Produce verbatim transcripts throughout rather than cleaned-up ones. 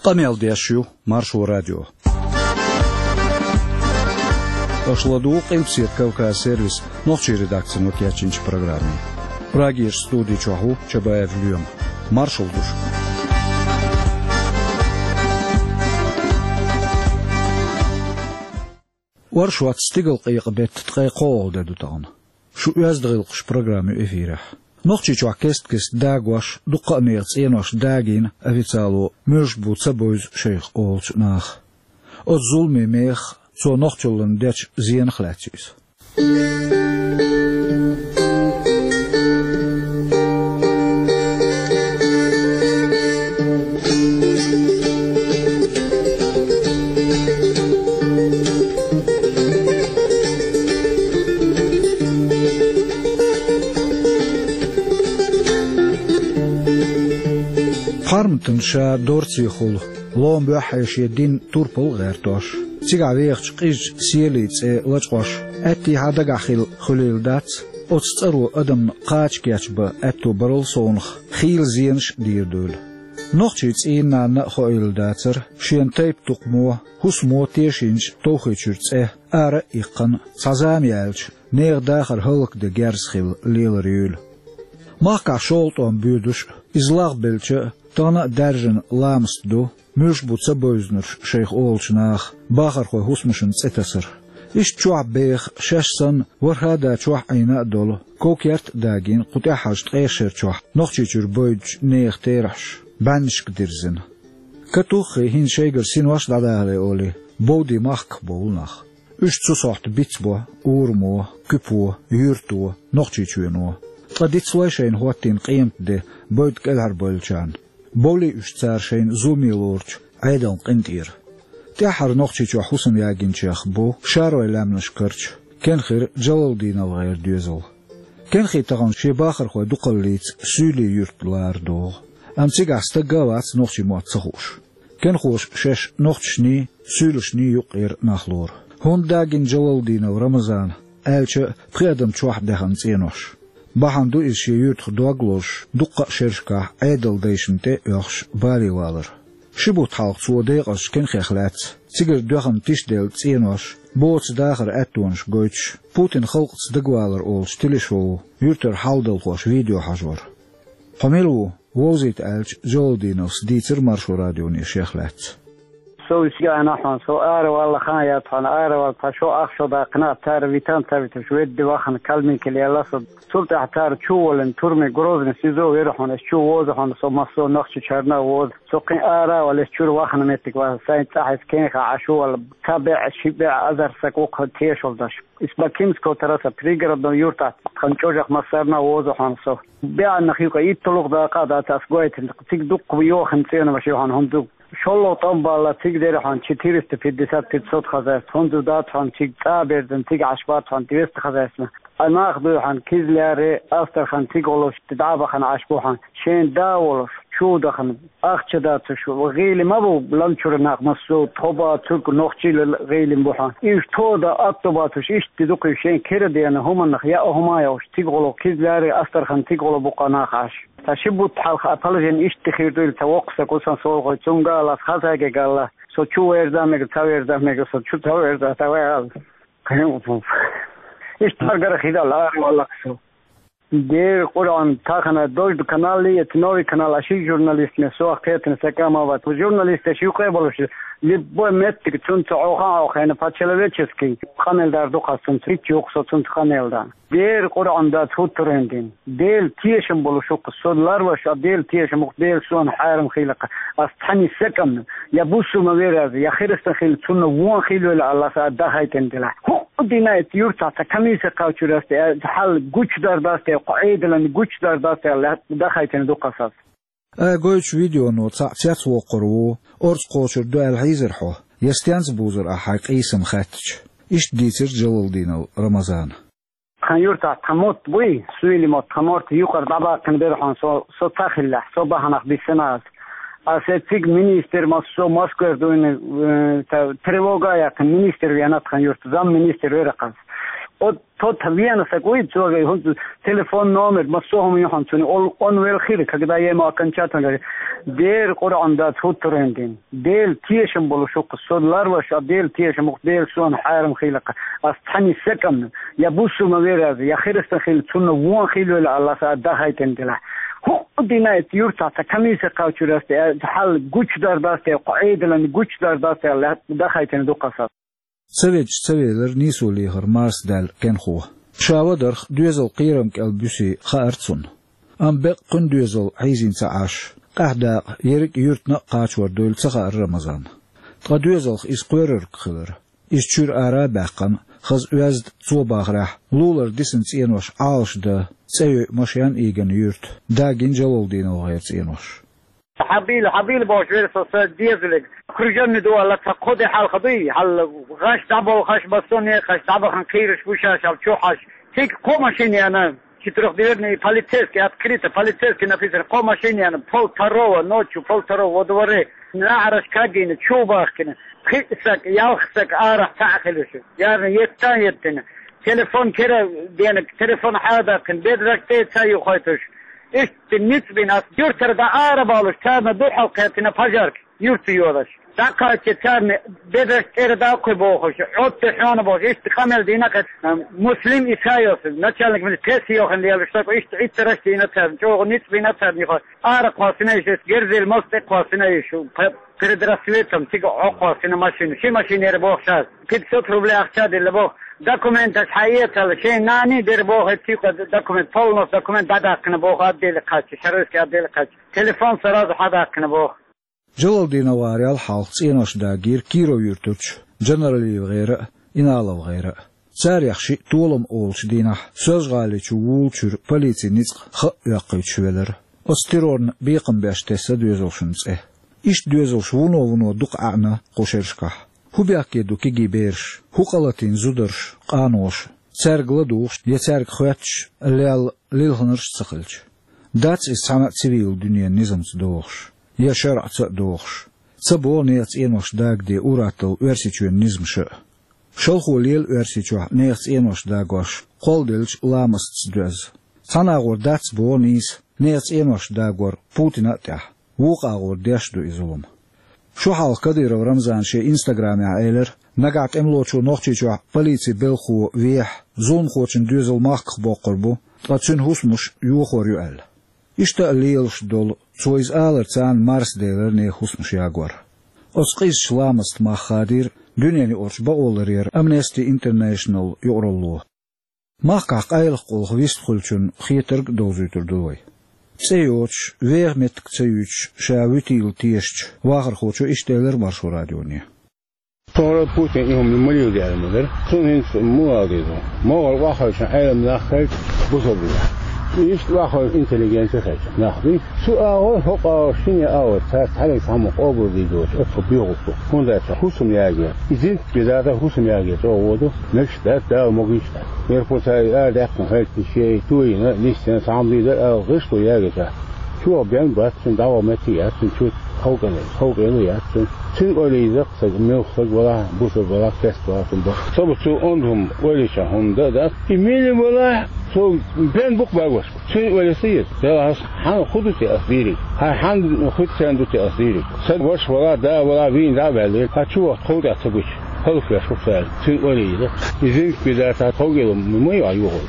Къамел деш ю Маршо радио. Аша ладугӀу Къилбаседа Кавказ сервисан нохчийн редакцино кечйинчу программе. Прагерчу студи чохь ву Чабаев Лоьма. Маршалла ду шуьга. Оршот, стигалкъекъа беттан ткъе кхоалгӀа де ду тахана. Шун «Оьзда гӀиллакхаш» программа ю эфирехь. Нохчийчохь кест-кеста дагош, дуккха а нехан цӀенош дагийна официально, муьлш бу ца бевза шайх олучу наха. Оцу зуламийн мехах, цо нохчаллина дечу зенах лаьцна ю иза. Пхьарматана ша дорцехула, лома боьххье шен дин турпал а гӀертош, цигахь вехачу къизачу Селин цӀе лачкъош, аьттехьа дагахь хилла хуьлийла дац оцу цӀаро адамна кхача кечбан аьтто барал совнах, хийла зенаш а дийр дуйла. Нохчийн цӀийнан нанна а хоийла дацара шена тайп-тукхамо, хӀусамо тешийначу Товхийчуьра цӀе ара а иккхина, цхьа зама яьлча, нехан дахар хӀаллакдан герз хилла лелар юйла. Махкахь шолгӀа тӀом боьдуш а, иза лагӀбелча а, тахана а даьржина ламаст ду муьлш бу ца бевзинарш шайх олучу наха бахархойн хӀусамашна цӀе тасар. Иштта чохь беха, шаьш санна, ворхӀ а да чохь Ӏийна а долу, ков-керт а дагийна кху тӀаьххьарчу ткъех шарчохь Нохчийчуьра бевддачу нехан терахьаш бӀеннашка дирзина. Катуххий, хӀинца шайгара синош а дӀадахале олий, бовдий махках бовлу нах. Уьш цу сохьта бицбо урамо, куьпо, юьрто, Нохчийчоьно. Ткъа дицлой шайна хӀоттийна къематде бевдда кӀелхьарбевллачарна. Бовлий уьш цара шайна зуламе лоручу Ӏедална къинтӀера. ТӀаьххьара Нохчийчохь хӀусам ягийначех бу Шаройн лаьмнаш карча Кенхира Джалалдинал гӀеран доьзал. Кенхи тахана шен бахархойн дукхаллица Суьйлийн юьрта лара догӀу. Амма цигахь стаг а вац нохчийн мотт ца хууш. Кенхоша шаьш нохчашний, суьйлашний юккъера нах лору. ХӀунда дагийна Джалалдинал Рамазана, аьлча а, пхи адам чохь даьхна цӀенош? Бахьана ду иза шен юьртах дог лозуш, дуккха а шерашкахь Ӏедалан дайшна тӀе а оьхуш, бале валар. Ши бутт хьалха цо декъазчу Кенхех лаьцна, цигара доьхна тишделла цӀенош, боцу дахаран аьттонаш гойтуш, Путинан халкъаца дагавалар олуш телешоу, юьртара хьал-далхоша видео хьажор. «Хьо мила ву?» — вовзийта аьлча, Джалалдиналс дийцира Маршо радионе шех лаьцна. Со уьш яхьана хьуна, со ара валла хан яц хьуна, ара валла, тхан шо ах шо даккхина, цара витан ца виташ, ведда вахана, Калмыкия лелла со. Цул тӀаьхьа цара чу воллина, турме Грозный СИЗО вера хьуна, ас чу воза хьуна, со массо а Нохчийчарна а воза. Со кхин ара а валла, ас чуьра вахана меттиг ваха, сайн цӀахь ас Кенха Ӏаш ву валла, ца беа, ши беа азар саг ву кху тешал даш. Из Бакинского трасса, пригородного юртахь, тхан чӀожах массарна а воза хьуна со. БеӀаннах юкъа итталгӀа дакъа а дац ас гойтина, цига дуккха йохина цӀенамаш ю хьуна, хӀунда шолгӀа тӀом балла цига дера хьуна четыреста пятьдесят, пятьсот хозяйств, хӀунда дац хьуна цига цӀа берзан, цига Ӏаш бац хьуна двести хозяйствна. Ткъа нах дуй хьуна Кизляре, Астрахань, цига гӀолуш дӀа а бахана Ӏаш бу хьуна, шен да волуш, чу дахана, ахча дацуш, гӀийли ма бу, лан чуьра нах массо а, тхо бацург нохчийла гӀийли бу хьуна. Уьш тода атто бацуш, иштта дукха шен кира дена хӀуманах яа хӀума а йолуш, цига гӀолу Кизляре, Астрахань, цига гӀолу бу кху нах Ӏаш. Ца ши бутт хьалха а положение иштта хир дуйла ца воккха са кусан солгӀой, цуьнга ала, ас хаза гегалла, со чу верза а мега, ца верза а мега, со чу ца верза, ца вай ала. Иштта маргара хидал, ара валлахь со. Дера Къуръан, тахана Дождь канал, это новый канал, а ши журналист ме, со кхетана сакама вац. Журналисташ юкъе болуш, любой меттиг цунца Ӏохан Ӏохайна, по-человечески къамел дар ду кхас цунца, хӀинца юкъа со цунца къамел дан. Дера Къуръан дац хӀуттурен дин. Дела тешам болуш ву-кх со, ларваш а Дела тешам ву-кх, Дела суна хьарам хийла-кх. Ас цхьанне сакамна, я бусулма вер аз, я хиристан хила, цунна вон хилвелла Аллас а дахайтина дила. ХӀуъу дина эцу юртахь ца комиссия кхачур ас те, хьал гучудар дац те, кху Ӏедалан гучудар дац те, аьлла, дахайтина ду-кх ас. Ай гойтучу видеоно цхьаъ цецвоккхур ву, орца кхочур ду аьлла хьийзар хьо, я стенца бузар ахь хьайн къийсам хаьттича? Иштта дийцира Джалалдинал Рамазана. Тхан юртахь тхан мотт буй, суьйли мотт, тхан мотт юкъара дӀабаккхина бера хьуна со, со ца хиллехь, со бахьанах биссина ас. Ас э цига министр массо а Москвера дуйна, э, та, тревога а яьккхина, министр вена тхан юрта, замминистр вера-кх ас. Вот тот вена сакъуй цога, хӀунца телефон номер, массо хӀума ю хьуна цуьнан, ол он вел хир, когда я ему окончательно говорю, Дера Къуръан дац хӀуттарен дин. Дела тешам болуш ву-кх со, ларваш а Дела тешам ву-кх, Дела суна хьарам хийла-кх. Ас цхьанне секунда, я бусулба вер аз, я христиан хила, цунна вон хила велла Аллас а дахайтина делахь. ХӀуъу дина и юртахь цхьа комиссия кхачур ас те, хьал гучудар дац те, кху Ӏедалан гучудар дац те, аьлла, дахайтина ду-кх ас. Ца веддаш ца велира нийсо лехар марсадаьлла кенхо. Ша вадарх доьзал кхерам кӀел буьсий хаьара цунна. Амма беккъа кхуьнан доьзал хьийзийна ца Ӏаш, къаьхьа дакъа ерриг а юьртана а кхачор дуйла ца хаьара Рамазанна. Ткъа доьзалх иза кхоьрург хилира. Иза чуьра ара а баьккхина, хаза оьзда, цо бахарехь, лулара дисина цӀенош Ӏалашдан, цӀе йойъу машен а ийгина юьрта, дагийна ДжалалдиновгӀеран цӀенош. Хьабийла, хьабийла бохуш вера со сан доьзале. Круженный ду аьлла, цхьа кхо де хьалха дуй, хьал гӀаш дӀаболхаш, массо а некъаш дӀабахана кхийраш бу шаьш, хьал чу хьаш. Цига кхо машина яьнна, четырехдверный, полицейский, открыто, полицейский написано, кхо машина яьнна, полвторого, ночью полвторого во дворе, наӀараш кагийна, чу бахкина, пхиъ саг, ялх саг арахь цхьаъ хилуш. Ярна еттан еттина. Телефон кера денаг, телефон хьадаккхина, бедраш тӀе ца юхайтуш. Иштта ницкъ бина ас юртара дӀа ара балуш, царна дуьхьал кхетина пожарка, юрта йолаш. ДӀакхачча царна бедраш тӀера даккхи бохуш, Ӏотта хьона бохуш, иштта къамел дина кхет. Муслим Исайос, начальник милиции, пресса йохина лелаш, так иштта Ӏиттараш дина царна, чӀогӀа ницкъ бина царна юха. Ара кхоссина иштта, герзел мас тӀе кхоссина иштта, пе-, перед рассветом цига Ӏокхоссина машина. Ши машина яра бохуш ас. Пятьсот рублей ахча дилла боху. Документаш хьаэцалла, шайн нани дера боху, цуьнга документ, полностью документ дӀадаккхина боху, отделе кхачча, Шаройский отделе кхачча. Телефон сразу хьадаккхина боху. ДжалалдиновгӀарел хьалха цӀенош дагийра Киров-Юьртарчу ДжанаралиевгӀеран а, ИналовгӀеран а. Царех шиъ Толам олучу дийнахь Соьлжа-ГӀалин чу вуллучуьра полицин ницкъ хаа оьккхуьйтуш велира. Оцу террорна бекхам беш тесна доьзалшна цӀе. Иштта доьзалш вуно-вуно дукха ӀаьӀна кху шерашкахь. ХӀун бехке ду кегий бераш, хӀун къа латийна зударша, къаноша, цаьрга ладугӀуш я цаьрга хоьттуш лелла лилхинарш а ца хилча? Дац иза цхьана а цивилан дуьненан низамца догӀуш, я шарӀаца а догӀуш. Ца богӀу нехан цӀенош дагаде ур-атталла Оьрсийчоьнан низамаша а. Шалхо лела Оьрсийчохь нехан цӀенош дагош кхолладеллачу ламастаца доьзна. Цхьана агӀор дац боху нийса нехан цӀенош дагор Путина а тӀехь, вукху агӀор деш а ду и зулам. Шо хьалха Кадыров Рамзана шен инстаграмехь элира, нагахь тӀемалочо Нохчийчохь полицин белхахо вехь, зуламхочун доьзал махках боккхур бу, ткъа цуьнан хӀусамаш йохор ю аьлла. Иштта а лелаш долу, цо иза аларца марсаделира нехан хӀусамаш ягор. Оцу къизачу ламастан мах хадийра дуьненаюкъарчу бакъоларъяран Amnesty International юкъаралло. Махкахь къайлаха къулах вистхуьлучун хетарг а довзуьйтур ду вай. ЦӀе йоцуш, веха меттиг ца юьйцуш, ша вуьтийла тешачу вахархочо иштта элира Маршо радионе. Тхуна Путин и хӀума ма леладаьлла ма дара. Цунна хӀинца муха ала деза? МогӀар охьахевшина Ӏелам нах хилча, бусалба нах. Иштта охьахевшина интеллигенция хилча нах дуй. Цу агӀор, хӀокху агӀор, шина агӀор цара цхьаьнниг цхьаммо къобалдийр доцуш, оццул боьхалла бу. ХӀунда аьлча хӀусам ягор, и зинтик бедар а хӀусам ягор чӀогӀа воду, мегаш дац, Дала могуш дац. Мерхо цара арадаьккхина хилча, шен тойина, нисдина, цхьа хӀума дийр дара аьлла, гӀишло ягор цара. Чу ваха бен бац, цуьнан дӀаваха меттиг яц, цуьнан чу халкъана, халкъана яц цуьнан. Цуьнан ойла йийза-кх, сага муьлхха сага валахь, бусалба валахь, керста валахь, цуьнан бакъ. Со бу цу онда хӀума ойла йича хӀума дан а дац. И мила валахь, цо бен бу-кх бакъвеш. Цуьнан ойла йийза. Делахь аса хьан хӀун ду те ас дийриг? Хьан хьан хуьттарна ду те ас дийриг? Сан ваша валахь, да валахь, вийна дӀа а ваьлла, хьан чу вахта хала тӀехь ца гуча, хӀаллаквеш ву-кх цара. Цуьнан ойла йийза. И зинтик бедар цхьа тховгӀа ма ю йохур.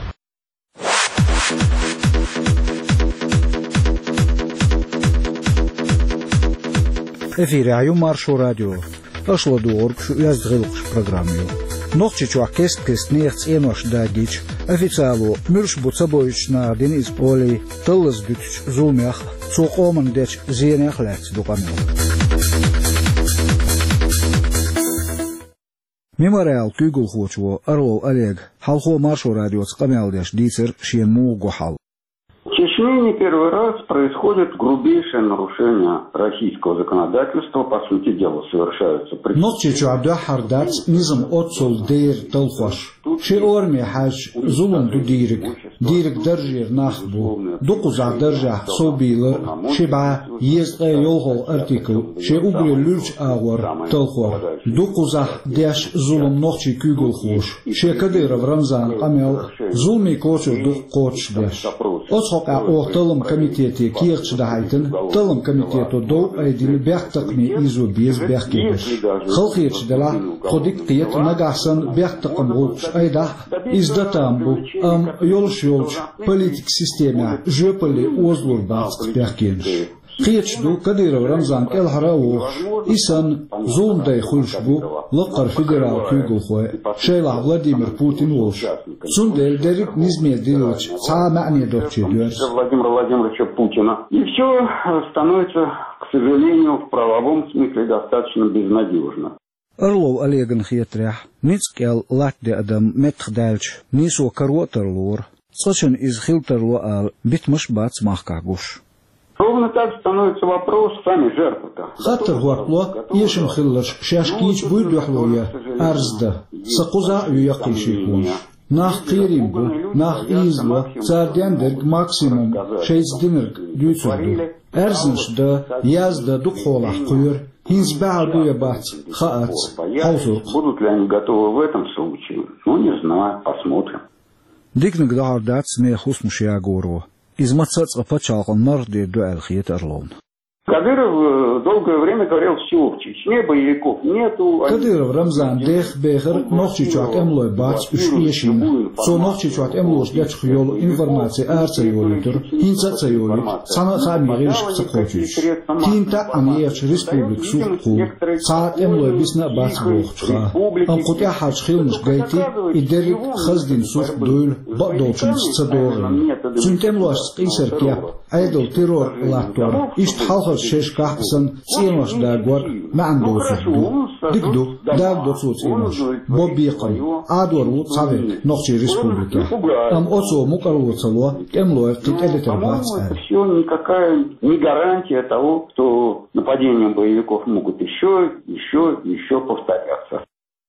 Эфирехь ю Маршо радио. Аша ладугӀург шу оьзда гӀиллакхаш программа ю. Нохчийчохь кест-кеста нехан цӀенош дагийча, официало муьлш бу ца бовзуьйтуш наха дина иза олий, таллаза дуьтучу зуламех а, цо къоманна дечу зенех а лаьцна ду къамел. Мемориалан куьйгалхочо Орлов Олега хьалхо Маршо радиоца къамел деш дийцира шена муха го хьал. Ши С ней не первый раз происходит грубейшее нарушение российского законодательства. По сути дела, совершаются преступления. Нохчийчохь дуьххьара дац низам оццул дера талхош. Ши ораме хьаьжча, зулам ду дийриг. Дийриг даржера нах бу. Дукхаза даржехь совбийлар, ши бӀаь езткъе йолхалгӀа артикл, шен уггаре луьрачу агӀор талхор. Дукхаза деш зулам нохчийн куьйгалхоша. Шен Кадыров Рамзанан къамел а, зуламе кочар ду кхочушдеш. Оцу хьокъехь оха талламан комитете кехаташ дахьийтина, талламан комитето дов айдина бехктакхаме ийзо беза бехкенаш. Халахеташ делахь, тхо дика кхета, нагахь санна бехктакхаман гӀуллакхаш айдахь а, иза дан там бу, амма йолуш йолчу политикан системехь жоьпалле озалур бац бехкенаш. Кхеташ ду, Кадыров Рамзан кӀелхьара а вогӀуш, и санна зуламдай хуьлуш бу лаккхара федералан куьйгалхой, шайлахь Владимир Путин волуш. Цундела дерриг а низаме диллича, цхьа а маьӀне доцуче доьрзу. Владимира Владимировича Путина. И всё становится, к сожалению, в правовом смысле достаточно безнадёжно. Орлов Олегана хетарехь, ницкъ кӀел латта де адам меттахдаьлча, нийсо каро а тарлора, цкъачунна иза хила тарло ала битамаш а бац махкахь гуш. Ровно так становится вопрос, сами жертвы-то. Хаттар хӀоттало, эшам хилларш шаьш кийча буй дуьхьало ян, арз дан. Сан кхузахь а ю яккхий шеконаш. Нах кхерийна бу, нах ийзало, цара ден дерг максимум шайца динарг дуьйцур ду. Аьрзнаш дан, яздан дукха хьолахь кхоьру, хӀинца баьхьар бу я бац, хаац, хьовсур-кх. Будут ли они готовы в этом случае? Ну, не знаю, посмотрим. Диканиг дӀахьор дац нехан хӀусамаш ягоро. Иза маца а цкъа пачхьалкхан марха дийр ду аьлла хета Орловна. Кадыров, э, долгое время говорил: «Всё, в Чечне боевиков нету». Кадыров Рамзана дех бехара Нохчийчохь тӀемалой бац, уьш эшийна. Цо Нохчийчохь тӀемалоша дечух йолу информаци ара ца йолуьйтура, хӀинца а ца йолуьйту, цхьана а хаамийн гӀирсашка ца кхочуьйтуш. ХӀинца а Ӏан ехачу республикан сух кху, цхьа а тӀемалой бисна а бац бохучуха. Амма кху тӀаьххьарчу хиламашка гайти, и дерриг а хаздина сурт дуйла, бакъдолчуьнца ца догӀийна. Цуьнан тӀемалошца къийсар кеп, Ӏедал террор латтор, иштта хьалхарчу шерашкахь а санна, цӀенош дагор а маьӀна доцург ду. Дика ду, дагадо цо цӀенош. Бо бекхам, Ӏадор ву цхьаверг нохчийн республикехь. Амма оцо мукӀарло ца ло, тӀемалой кхин тӀедитар бац аьлла. Всё, никакая не гарантия того, что нападения боевиков могут ещё, ещё, ещё повторяться.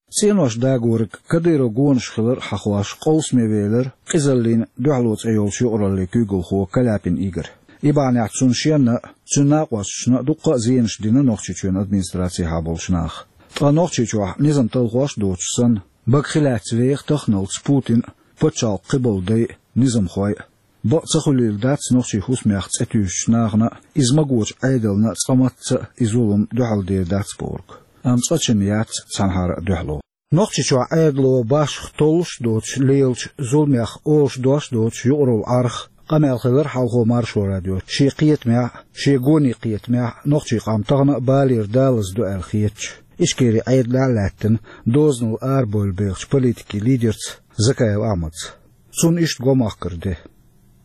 ЦӀенош дагориг Кадыров гонаш хилар а хьахош, къовсаме велира Къизаллин дуьхьало цӀе йолчу юкъараллин куьйгалхо Каляпин Игорь. И бахьанехь цунна шенна а, цуьнан накъосташна а дуккха а зенаш дина Нохчийчоьнан администрацехьа болчу наха. Ткъа Нохчийчохь низам талхош а доцуш санна, бага хи лаьцна веха таханалц Путин а, пачхьалкхан кхиболу дай а, низамхой а. Бакъ ца хуьлийла дац нохчийн хӀусамех цӀе туьйсучу нахана а, иза магочу Ӏедална а цкъа мацца а и зулам дуьхьал дер дац бохург. Амма цкъачунна яц цхьанхьара а дуьхьало. Нохчийчохь Ӏедало башха толлуш а доцуш лелачу зуламех олуш дош а доцуш юкъаралла Ӏарх къамел хилира хьалхо Маршо радио. Шен кхетамехь а, шен гонийн кхетамехь а нохчийн къам тахана а балера далаза ду аьлла хетачу, Ичкерин Ӏедалехь а лаьттина, дозанал арабевлла бехачу политикийн лидерца Закаев Ахьмадца. Цунна иштта го махкара де.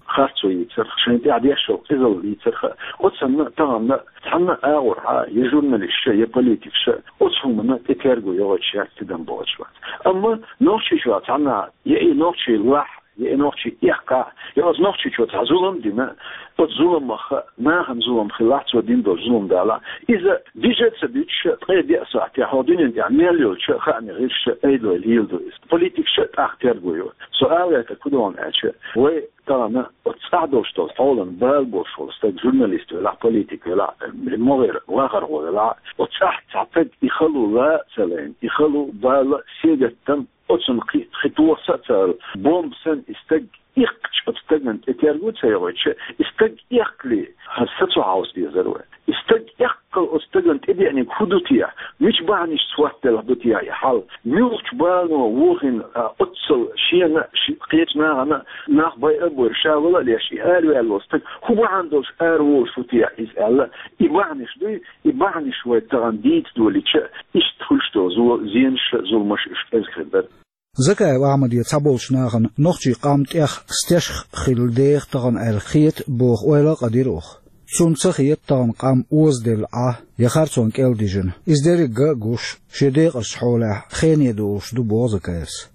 Харцо йийцарх, шайн тӀехь деш йолу къизалла йийцарх, оцунна тахана цхьанна а агӀор хьа я журналисташа, я политикаша оцу хӀуманна тӀе терго йогӀуьйтуш яц, тидам бохуьйтуш вац. Амма Нохчийчохь цхьанна я и нохчий лахь, я и нохчий эккхахь, я оцу Нохчийчохь цхьа зулам дина, оцу зуламах нахана зулам хилахь, цо дина долу зулам далахь, иза дижа а ца дуьтуш, ткъе деа сахьтехь хӀокху дуьнен тӀехь мел йолчу хаамийн гӀирсаша, Ӏедалой леладо иза. Политикаша тӀаккха терго йо. Со ала гӀертарг хӀун ду аьлча, вай тахана оцу цӀахь долуш долу хьолан бала болуш волу стаг, журналист велахь, политик велахь, могӀера вахархо велахь, оцу цӀахь цхьа стаг и хало лан а ца лайна, и хало, бала, сингаттам, оцунна кхин, кхин тоха са а ца ала, бомба санна и стаг иккхича, оцу стагана тӀе терго ца йогӀуьйтуш, и стаг эккхале, хӀара са цу хьовса дезара вай. И стаг эккхал оцу стагана тӀедеаниг хӀун ду техьа? Мича бахьанашца хӀоттаделла ду техьа и хьал? Муьлхачу балано вохийна, а, оццул шена а, ши-, кхечу нахана а, нах байа а бойра, ша вала а леш, и араваьлла волу стаг хӀун бахьана долуш араволуш ву техьа иза аьлла, и бахьанаш дуй, и бахьанаш вай тахана дийца долийча, иштта хуьлуш долу зо-, зенаш а, зуламаш а уьш кӀезиг хир дара. Закаев Ахьмаде цхьаболчу нахана нохчийн къам тӀех стешах хилла деха тахана аьлла хета боху ойла а къадира оха. Цунна ца хета тахана къам озаделла Ӏа я харцонна кӀел дижина. Иза дерриг а гуш, шен декъазчу хьолехь хене долуш ду, боху Закаевс.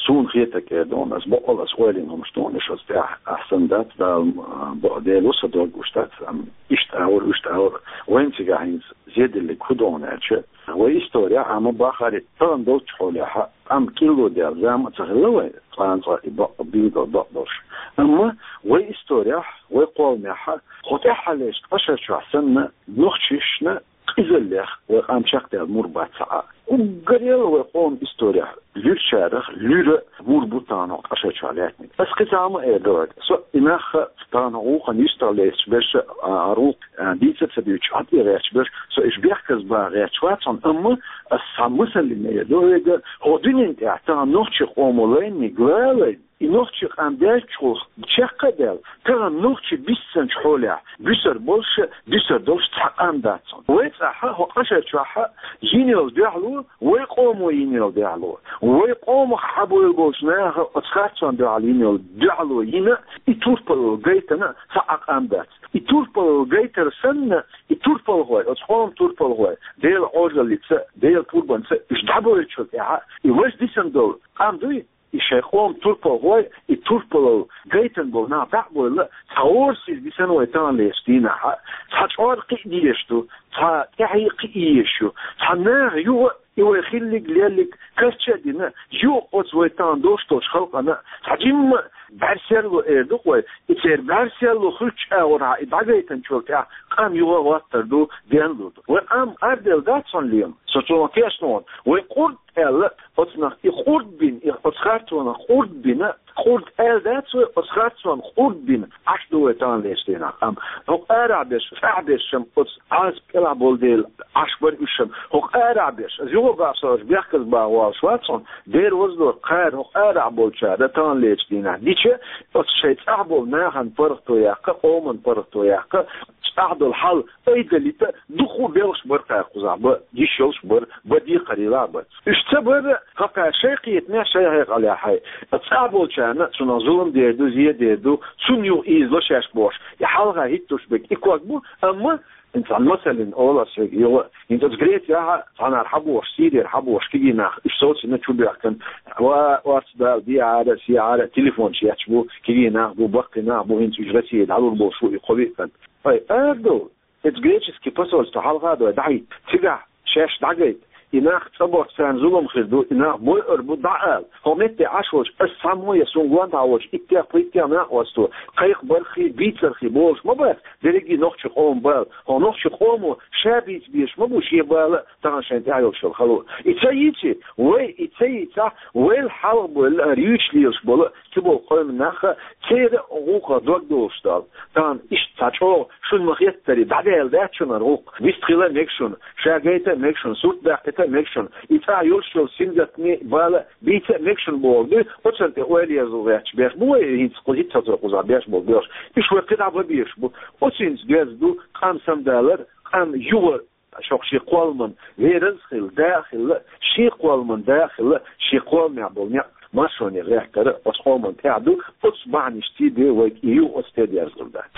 Тхуна хетарг эр ду хьуна, ас боккъал ас ойла йина хӀумнаш ду хьуна, уьш оцу тӀехь ахь санна дац, Дала, а, бакъдерг ло, сан дог гуш дац, ам, иштта а вара, иштта а вара. Вайна цигахь хӀинца зеделлиг хӀун ду хьуна аьлча, вай исторехь а ма бахара, тахана долчу хьолехь а, ам кӀилло даьлла зама а ца хилла вай, цкъа-цкъа и бакъ-, билггал бакъдолуш. Амма вай исторехь, вай кхолламехь а, хӀокху тӀаьххьарлерчу ткъа шарчохь санна, нохчашна къизаллех вай къам чекхдаьлла мур бац цхьа а. Уггаре а вай къоман исторехь луьрачарах луьра мур бу тахана хӀокху ткъа шарчохь лаьттинарг. Ас кхин цхьа хӀума эр ду хьоьга. Со и нах тахана гӀуллакхана юьстах лецча берш а, а, гӀуллакх, а, дийца а ца дуьйцуш, Ӏад а гӀерташ берш, со уьш бехказбан гӀерташ вац хьуна, амма ас цхьа масална эр ду хьоьга, хӀокху дуьнен тӀехь тахана нохчийн къомо лайниг лалайна, и нохчийн къам даьллачул чекх а даьлла, тахана нохчий биссинчу хьолехь буьсур болуш а, дуьсур долуш цхьа къам дац хьуна. Вай цӀахь а, хӀокху ткъа шарчохь а йина йолу дуьхьало, вай къомо йина йолу дуьхьало, вай къомах хьабевлла болчу наха оцу харцонна дуьхьал йина йолу дуьхьало йина, и турпалалла гайтина цхьа а къам дац. И турпалалла гайтар санна, и турпалхой, оцу къоман турпалхой, Делан Ӏожаллица, Делан пурбанца уьш дӀабевллачул тӀаьхьа, и важа дисина долу къам дуй, и шайн къоман турпалхой, и турпалалла гайтина болу нах дӀа а бевлла, цхьа гӀорасиз дисина вай таханлерчу дийнахь а, цхьа чкъор кхин а дезаш ду, цхьа тӀаьхье кхин а езаш ю, цхьа наха юха а и вай хиллиг, леллиг карча а дина, юха а оцу вай тахана долуш долчу халкъана цхьа жимма бӀаьрсерло эр ду-кх вай, и церан бӀаьрсерло хуьлучу агӀорхьа и дӀагайтинчул тӀаьхьа къам юха а гӀоттур ду, денлур ду. Вай къам къарделла дац хьуна, Лема, со цунах тешна ву хьуна, вай къурд аьлла, оцунах и къурд бина, и оцу харцонах къурд бина, къурд аьлла дац вай, оцу харцонах къурд бина Ӏаш ду вай таханлерчу дийнахь къам. ХӀокху арахь берш, цӀахь берш-м оцу Ӏазап кӀелахь болу дела Ӏаш бара уьш-м. ХӀокху арахь берш, аса юха а боху, со уьш бехказбан гӀерташ вац хьуна, дера вазло, кхара хӀокху арахь болчара таханлерчу дийнахь дича, оцу шайн цӀахь болу нахана паргӀато яккха, къоман паргӀато яккха, цӀахь долу хьал айдалийта, дукха а белхаш бара кхара кхузахь, бан йиш йолуш бара, бан декхарийлахь бара. Уьш ца бара, хӀокхара шайн кхетамехь, шайн хьекъалехь, хьай, цӀахь болчарна цунах зулам дер ду, зен дер ду, цунна юха ийзало шаьш бохуш, и хьалха хӀиттош берг и ког бу, амма хӀинца цхьана масална олу ас шуьга, юха, хӀинца оцу Грецехь а цхьанхьара хьабохуш, Сирера хьабохуш кегий нах, уьш совцийна, чубоьхкина, ва, орцах Дала дехьара, сехьара, телефонаш етташ бу, кегий нах бу, баккхий нах бу, хӀинца уьш Россия дӀалур болуш бу, и кхо-виъ кӀант. Ай, ара ду, оцу греческий посольство хьалха а дой дӀахӀитта, цигахь шаьш дӀагайта, и нах цӀа бохча царна зулам хир ду, и нах бойур бу дӀа ала. ХӀокху метте Ӏаш волчу ас цхьаммо я суна гонаха волчу иттех-пхиттех накъосташа кхайкхабарххий, бийцарххий болуш ма бац дерриге нохчийн къоман бала. ХӀокху нохчийн къомо ша бийца безаш ма бу шен бала а, тахана шайна тӀехь йолуш йолу хало. И ца йийци, вай и ца йийцахь, вайл хьалха бевлла, хӀара юьйцуш лелаш болу, цу болу къоман нах а церан а гӀуллакхах дог долуш долу. Тахана иштта цхьа чӀогӀа шуна ма-хеттара дӀадаьлла дац шуна хӀара гӀуллакх. Вистхила а мега шуна, ша гайта а мега шуна, сурт даккхийта а мега шуна. И цӀахь йолуш йолу сингаттаме бала бийца а мега шуна бохург ду, оцунна тӀе ойла еза гӀерташ беш бу вай, хӀинца кху хӀиттазо кхузахь беш болу беш. Уьш вай кхидӀа бан безаш бу. Оцуьнца доьзна ду къам самадалар, къам юха шен кхолламан верас а хилла, да а хилла, шен кхолламан да а хилла, шен кхолламехь болу некъ маршоне гӀертар а оцу къоманна тӀехь ду, оцу бахьанашций бен вайга и юха оцу тӀе дерзалур дац.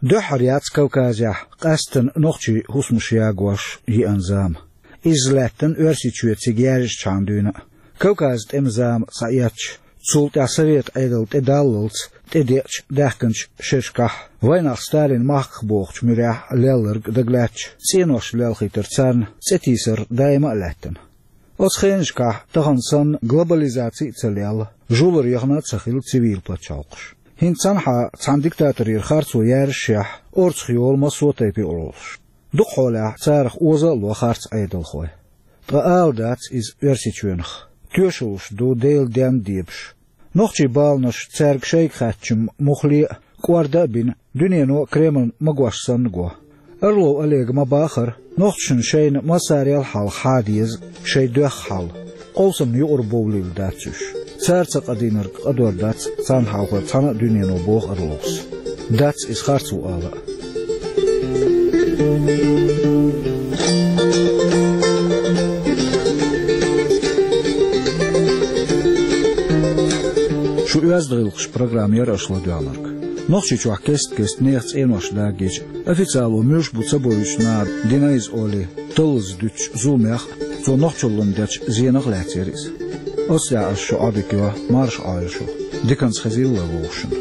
Дуьххьара яц Кавказехь къаьсттина нохчийн хӀусамаш ягош йиъна зама. Изза лаьттина Оьрсийчоь цига яьржачхьана дуьйна а. Кавказан тӀеман зама схьаэцча, цул тӀаьхьа Совет Ӏедал тӀедаллалц тӀедеъча даьхкинчу шерашкахь вайнах Сталин махках бохучу муьрехь лелларг дагалаьцча, цӀенош лелхийтар царна цӀе тийсар даима а лаьттина. Оцу хенашкахь тахана санна глобализаци а ца лелла, жулар яхана а ца хилла цивил пачхьалкхаш. ХӀинца цхьанхьа цхьана диктаторера харцо яьржашехь, орцах йолу массо а тайпа юкъараллаш. Дукха хьолехь царах оза а ло харц Ӏедалхой. Ткъа ала дац иза Оьрсийчоьнах. Тоьшаллаш ду Делан денна дебаш. Нохчийн баланаш цаьрга шайга хаьттича муххале а, кӀорда а бина, дуьнено Кремльна магош санна го. Орлов Олега ма-баххара, нохчашна шайна массарел а хьалха хьа деза шайн доьхна хьал. Къовсамна юкъара бовлийла дац уьш. Цара ца къадийнарг къадор дац царна хьалхара цхьана а дуьнено, боху Орловс. Дац иза харц ву ала а. Шу оьзда гӀиллакхаш программа яра аша ладоьгӀнарг. Нохчийчохь кест-кеста нехан цӀенош дагийча, официало муьлш бу ца бовзуьйтуш нахана дина иза олий, таллаза дуьтучу зуламех а, цо нохчаллина дечу зенах а лаьцна яра иза. Оцу декъаза шу Ӏодика йо, марша Ӏойла шу. Диканца хезийла вай вовшашна.